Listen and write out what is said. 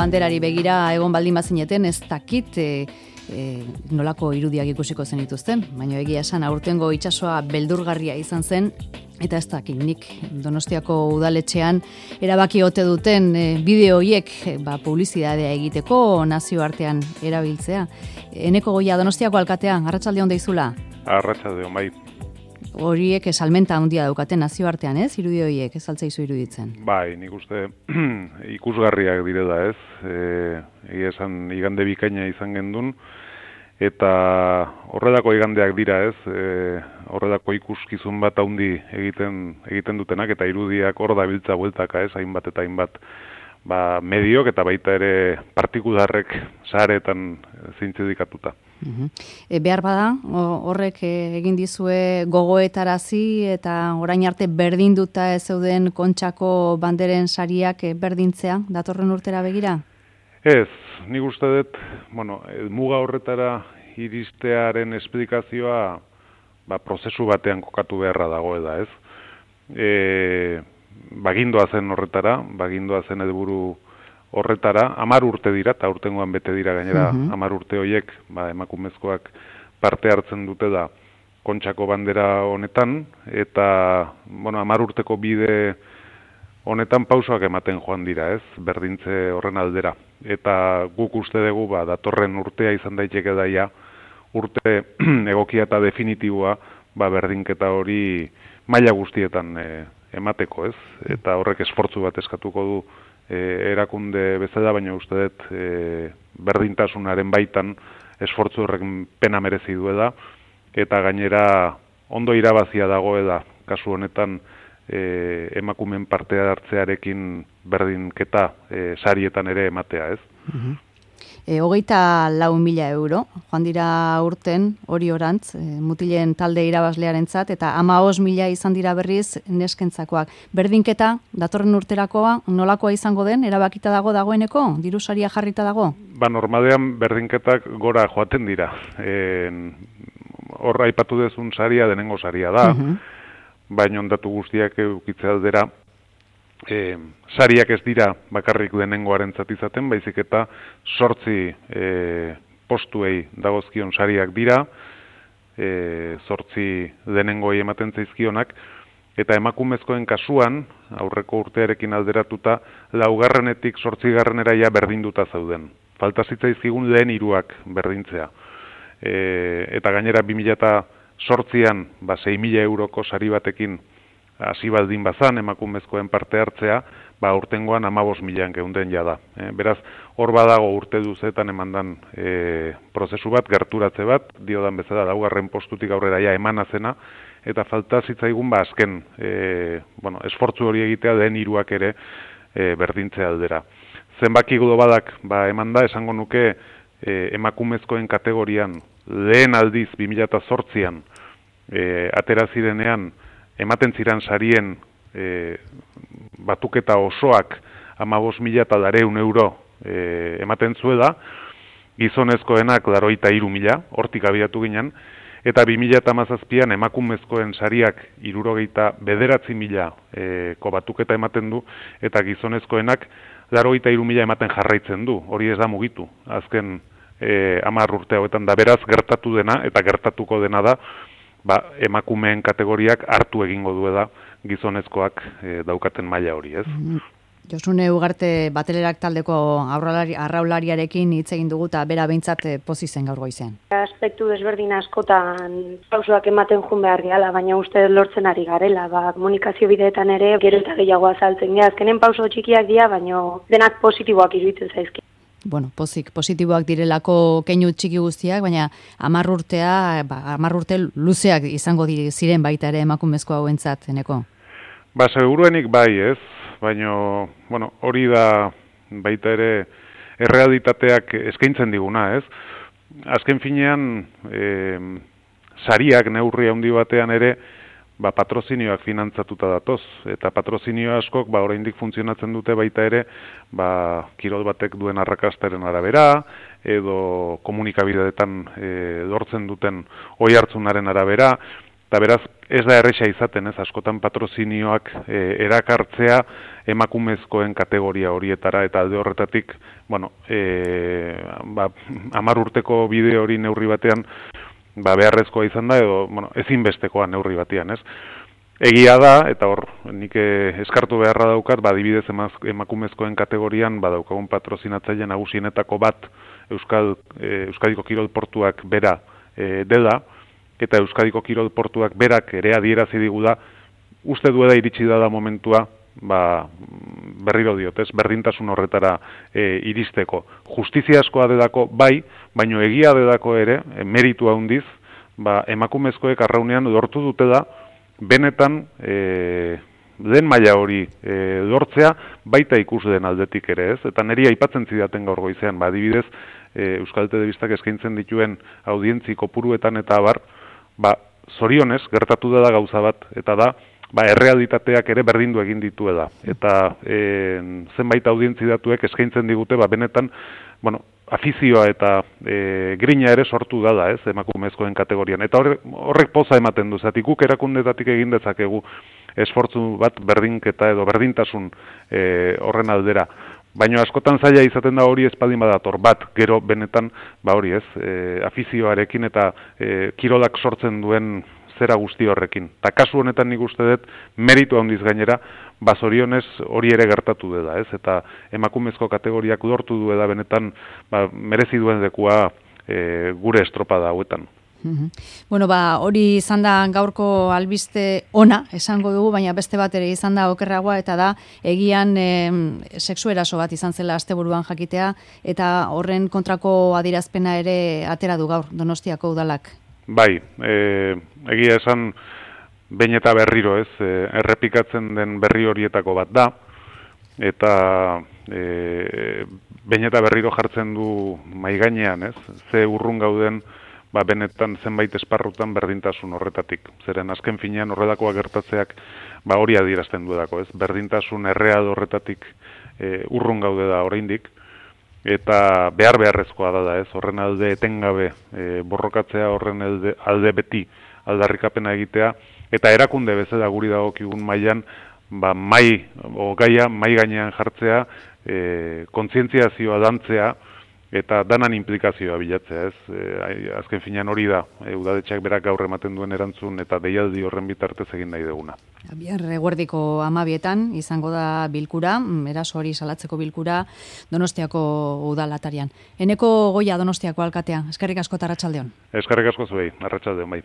banderari begira egon baldin bazineten, ez dakit nolako irudiak ikusiko zenituzten, baina egia esan aurtengo itsasoa beldurgarria izan zen, eta ez dakit nik Donostiako udaletxean erabaki ote duten bideo horiek publizitatea egiteko nazioartean erabiltzea. Eneko Goia, Donostiako alkatea, arratsalde on deizula? Arratsalde on, bai. Horiek salmenta handia daukaten nazioartean, ez? Irudi horiek, ez altzaizu iruditzen? Bai, nik uste ikusgarriak direla, ez? Egia esan igande bikaina izan gendun, eta horrelako igandeak dira, ez? Horrelako ikuskizun bat handi egiten dutenak, eta irudiak hor dabiltza bueltaka, ez? Hainbat eta hainbat mediok eta baita ere partikularrek saretan zintzidikatuta. Behar bada, horrek egin dizue gogoetarazi eta orain arte berdinduta ez zeuden Kontxako banderen sariak berdintzea, datorren urtera begira? Ez, nik uste dut, muga horretara iristearen esplikazioa prozesu batean kokatu beharra dagoela, ez? Bagindoa zen horretara, bagindoa zen helburu horretara, 10 urte dira, eta urtengoan bete dira gainera 10 urte horiek, emakumezkoak parte hartzen dute da Kontxako bandera honetan, eta 10 urteko bide honetan pausoak ematen joan dira, ez, berdintze horren aldera. Eta guk uste dugu, datorren urtea izan daiteke daia, urte egokia eta definitiboa, berdinketa hori maila guztietan emateko, ez? Eta horrek esfortzu bat eskatuko du erakunde bezala, baina uste dut berdintasunaren baitan esfortzu horrek pena merezi duela, eta gainera ondo irabazia dagoela, kasu honetan emakumen parte hartzearekin berdinketa sarietan ere ematea, ez? 24.000 euro, joan dira urten hori orantz, mutilen talde irabazlearentzat, eta 15.000 izan dira berriz neskentzakoak. Berdinketa, datorren urterakoa, nolakoa izango den, erabakita dagoeneko? Diru saria jarrita dago? Normalean berdinketak gora joaten dira. Horra aipatu dezun saria, denengo saria da, baina ondatu guztiak eukitzea aldera, sariak ez dira bakarrik denengoaren izaten, baizik eta 8 postuei dagozkion sariak dira, 8 denengoi ematen zaizkionak, eta emakumezkoen kasuan, aurreko urtearekin alderatuta, 4. 8. ja berdinduta zauden. Falta zitzaizkigun lehen 3 berdintzea. Eta gainera 2008an 6.000 euroko sari batekin hasi baldin bazan emakumezkoen parte hartzea, urtengoan 15.000 geunden jada. Beraz, hor badago urte duzetan emandan prozesu bat, gerturatze bat, diodan bezala 4. postutik aurrera ja emana zena, eta falta zitzaigun azken esfortzu hori egitea den 3 ere berdintzea aldera. Zenbaki globalak emanda, esango nuke emakumezkoen kategorian lehen aldiz 2008an atera zirenean ematen ziren sarien batuketa osoak 15.200 euro ematen zuela, gizonezkoenak 83.000, hortik abiatu ginen, eta 2017an emakumezkoen sariak 79.000 batuketa ematen du, eta gizonezkoenak 83.000 ematen jarraitzen du, hori ez da mugitu, azken 10 urte hauetan da, beraz gertatu dena, eta gertatuko dena da, emakumeen kategoriak hartu egingo duela gizonezkoak daukaten maila hori, ez? Josune Ugarte Batelerak taldeko arraulariarekin hitz egin dugu eta bera behintzat pozi zen gaur goizean. Aspektu desberdin askotan pausoak ematen joan behar gehala, baina uste lortzen ari garela, komunikazio bideetan ere gero eta gehiago azaltzen geha. Azkenen pauso txikiak dira, baina denak positiboak iruditzen zaizki. Positiboak direlako keinu txiki guztiak, baina 10 urte luzeak izango ziren baita ere emakumezko hauentzat, Eneko? Seguruenik bai, ez? Baina, hori da baita ere errealitateak eskaintzen diguna, ez? Azken finean, sariak neurri handi batean ere, patrozinioak finantzatuta datoz, eta patrozinio askok oraindik funtzionatzen dute baita ere, kirol batek duen arrakastaren arabera, edo komunikabideetan lortzen duten oihartzunaren arabera, eta beraz ez da erresa izaten, ez, askotan patrozinioak erakartzea emakumezkoen kategoria horietara, eta alde horretatik, bueno, 10 urteko bide hori neurri batean, beharrezkoa izan da, edo, bueno, ezinbestekoa neurri batean, ez. Egia da, eta hor, nik eskartu beharra daukat, adibidez emakumezkoen kategorian, daukagun patrozinatzaile nagusienetako bat Euskadiko Kirol Portuak bera dela, eta Euskadiko Kirol Portuak berak ere adierazi digu da, uste duela iritsi da momentua, berriro diot, ez, berdintasun horretara iristeko. Justiziaskoa delako bai, baino egia delako ere, meritu handiz, emakumezkoek arraunean lortu dutela, benetan den maila hori lortzea baita ikusleen aldetik ere, ez? Eta niri aipatzen zidaten gaur goizean, adibidez, Euskal Telebistak eskaintzen dituen audientzi kopuruetan eta abar, zorionez gertatu dela gauza bat, eta da, errealitateak ere berdindu egin dituela. Eta zenbait audientzi datuek eskaintzen digute, benetan, bueno, afizioa eta grina ere sortu dala, ez, emakumezkoen kategorian. Eta horrek poza ematen du, zatik guk erakundetatik egin dezakegu esfortzu bat berdinketa edo berdintasun horren aldera. Baina askotan zaila izaten da hori espaldin badator bat, gero benetan, hori ez, afizioarekin eta kirolak sortzen duen zera guzti horrekin. Ta kasu honetan nik uste dut meritu handiz gainera, zorionez hori ere gertatu dela, ez? Eta emakumezko kategoriak lortu duela benetan merezi duen lekua gure estropada hauetan. Bueno, hori izan da gaurko albiste ona, esango dugu, baina beste bat ere izan da okerragoa, eta da, egian sexu eraso bat izan zela asteburuan jakitea, eta horren kontrako adierazpena ere atera du gaur Donostiako udalak. Bai, egia esan behin eta berriro, ez, errepikatzen den berri horietako bat da, eta behin eta berriro jartzen du maigainean, ez, ze urrun gauden, benetan zenbait esparrutan berdintasun horretatik. Zeren azken finean horrelakoak gertatzeak hori adierazten duelako, ez, berdintasun erreal horretatik urrun gaude da oraindik, eta beharrezkoa da, ez, horren alde etengabe borrokatzea, horren alde beti aldarrikapena egitea, eta erakunde bezala guri dagokigun mailan gaia mai gainean jartzea, kontzientziazioa dantzea, eta danan implikazioa bilatzea, ez, azken finean hori da, udadetxeak berak gaur ematen duen erantzun, eta deialdi horren bitartez egin nahi duguna. Bihar eguerdiko 12 izango da bilkura, eraso hori salatzeko bilkura Donostiako udalatarian. Eneko Goia Donostiako alkatea, eskerrik asko eta arratsaldeon. Eskerrik asko zuei, arratsaldeon bai.